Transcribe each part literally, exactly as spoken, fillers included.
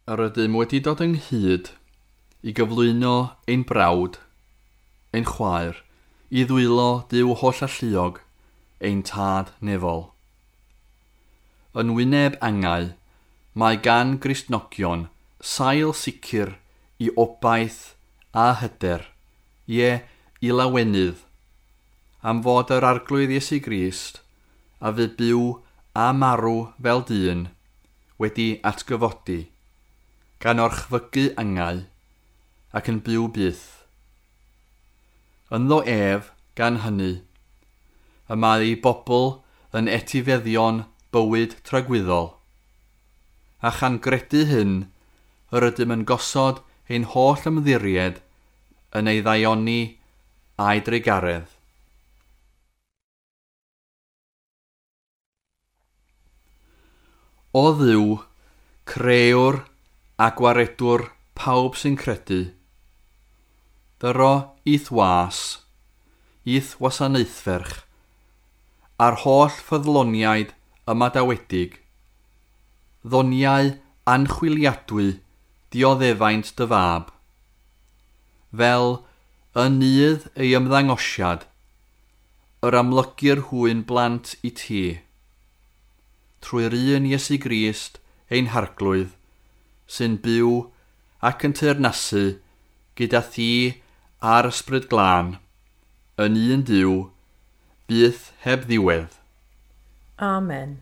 Yr ydym wedi dod ynghyd i gyflwyno ein brawd, ein chwaer, i ddwylo Duw hollalluog, ein tad nefol. Yn wyneb angau, mae gan Gristnogion sail sicr i obaith a hyder, ie, i lawenydd, am fod yr Arglwydd Iesu Grist, a fu byw a marw fel dyn, wedi atgyfodi, gan orchfygu angau, ac yn byw byth. Ynddo ef, gan hynny, y mae ei bobl yn etifeddion bywyd tragwyddol. A chan gredu hyn, yr ydym yn gosod ein holl ymddiried yn ei ddaioni a'i drugaredd. O Dduw, crëwr a gwaredwr pawb sy'n credu, dyro i'th was, i'th wasanaethferch, a'r holl ffyddloniaid ymadawedig, ddoniau anchwiliadwy dioddefaint dy fab, fel yn nydd ei ymddangosiad, yr amlygir hwy'n blant i ti, trwy'r un Iesu Grist ein Harglwydd, sy'n byw ac yn teyrnasu gyda thi a'r Ysbryd Glân, yn un Duw, byth heb ddiwedd. Amen.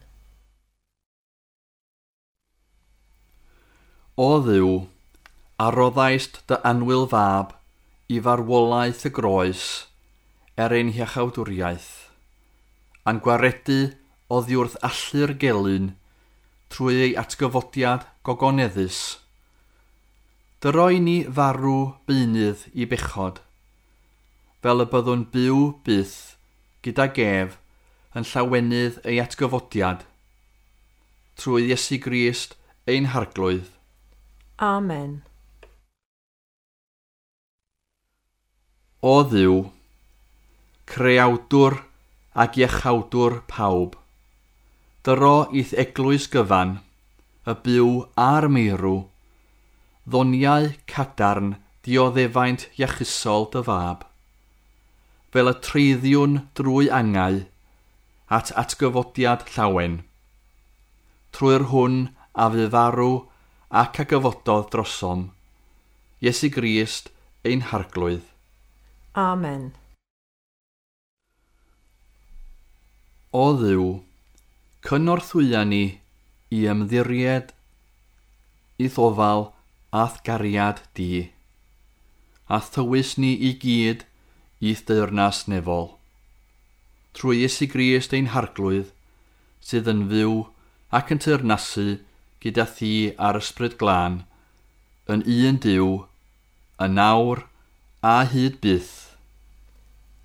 O Dduw, a roddaist dy annwyl fab i farwolaeth y groes er ein hiachawdwriaeth, a'n gwaredu oddi wrth allu'r gelyn trwy ei atgyfodiad gogoneddus. Dyro i ni farw beunydd i bechod, fel y byddwn byw byth gydag ef yn llawenydd ei atgyfodiad, trwy Iesu Grist ein Harglwydd. Amen. O Dduw, creawdwr ac iachawdwr pawb, dyro i'th eglwys gyfan, y byw a'r meirw, ddoniau cadarn dioddefaint iachusol dy fab, fel y treiddiwn drwy angau at atgyfodiad llawen, trwy'r hwn a fu farw ac a gyfododd drosom, Iesu Grist ein Harglwydd. Amen. O Dduw, cynorthwya ni i ymddiried i'th ofal a'th gariad di, a thywys ni i gyd i'th deyrnas nefol. Trwy Iesu Grist ein Harglwydd, sydd yn fyw ac yn teyrnasu gyda thi a'r Ysbryd Glân, yn un Duw, yn nawr a hyd byth.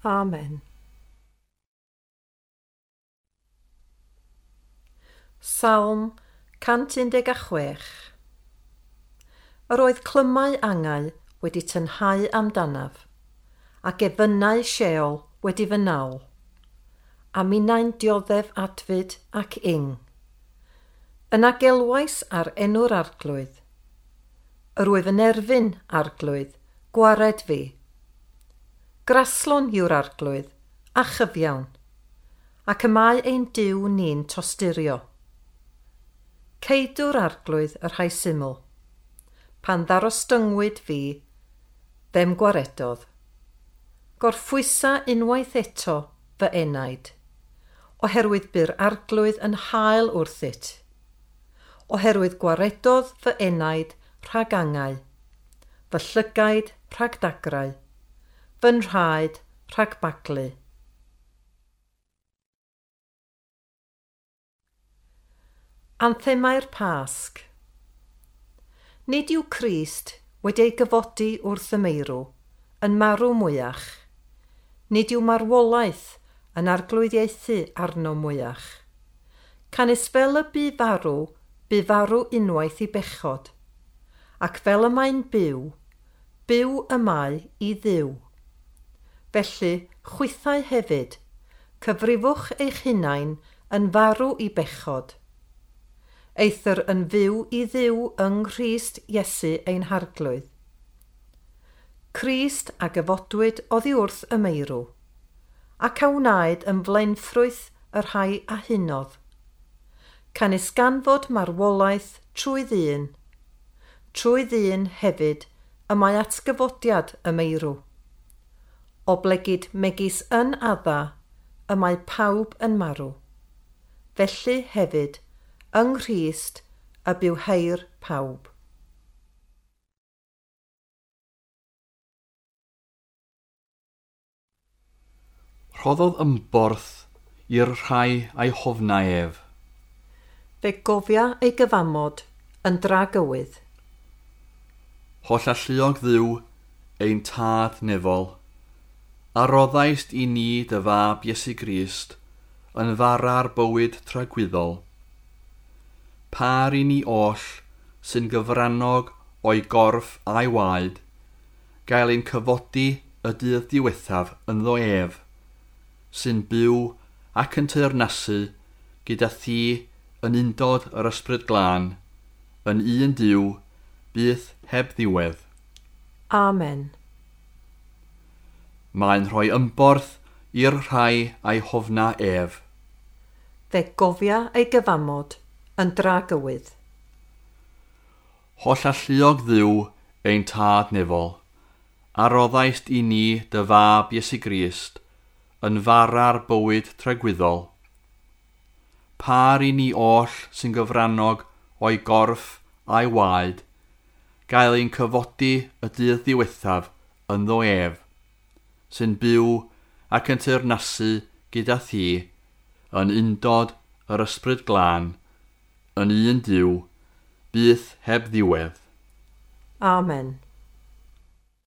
Amen. Salm cant un deg a chwech. Yr oedd clymau angau wedi tynhau amdanaf, ac efynnau Sheol wedi fy nal, a minnau'n dioddef adfyd ac ing. Yna gelwais ar enw'r Arglwydd. Yr wyf yn erfyn, Arglwydd, gwared fi. Graslon yw'r Arglwydd, a chyfiawn, ac y mae ein Duw ni'n tosturio. Ceidw'r Arglwydd y rhai syml. Pan ddarostyngwyd fi, fe'm gwaredodd. Gorffwysa unwaith eto fy enaid, oherwydd bu'r Arglwydd yn hael wrthyt. Oherwydd gwaredodd fy enaid rhag angau, fy llygaid rhag dagrau, fy nhraed rhag baglu. Anthemau'r Pasg. Nid yw Crist wedi ei gyfodi wrth y meirw, yn marw mwyach. Nid yw marwolaeth yn arglwyddiaethu arno mwyach. Canys fel y bu farw, bu farw unwaith i bechod, ac fel y mae'n byw, byw y mae i Dduw. Felly, chwithau hefyd, cyfrifwch eich hunain yn farw i bechod, eithr yn fyw i Dduw yng Nghrist Iesu ein Harglwydd. Crist a gyfodwyd oddi wrth y meirw, ac a wnaed yn flaenffrwyth y rhai a hunodd. Canys gan fod marwolaeth trwy ddyn, trwy ddyn hefyd y mae atgyfodiad y meirw. Oblegid megis yn Adda y mae pawb yn marw. Felly hefyd, yng Nghrist y bywheir pawb. Rhoddodd ymborth i'r rhai a'i hofna ef. Fe gofia ei gyfamod yn dragywydd. Holl alluog Dduw, ein tad nefol, a roddaist i ni dy fab Iesu Grist yn fara'r bywyd tragwyddol. Par i ni oll sy'n gyfrannog o'i gorff a'i waed, gael ein cyfodi y dydd diwethaf ynddo ef, sy'n byw ac yn teyrnasu gyda thi yn undod yr Ysbryd Glân, yn un Duw, byth heb ddiwedd. Amen. Mae'n rhoi ymborth i'r rhai a'i hofna ef. Fe gofia ei gyfamod yn dragywydd. Holl alluog Dduw, ein tad nefol, a roddaist i ni dy fab Iesu Grist yn fara'r bywyd tragwyddol. Par i ni oll sy'n gyfrannog o'i gorff a'i waed, gael ein cyfodi y dydd diwethaf ynddo ef, sy'n byw ac yn teyrnasu gyda thi, yn undod yr Ysbryd Glân, yn un Duw, byth heb ddiwedd. Amen.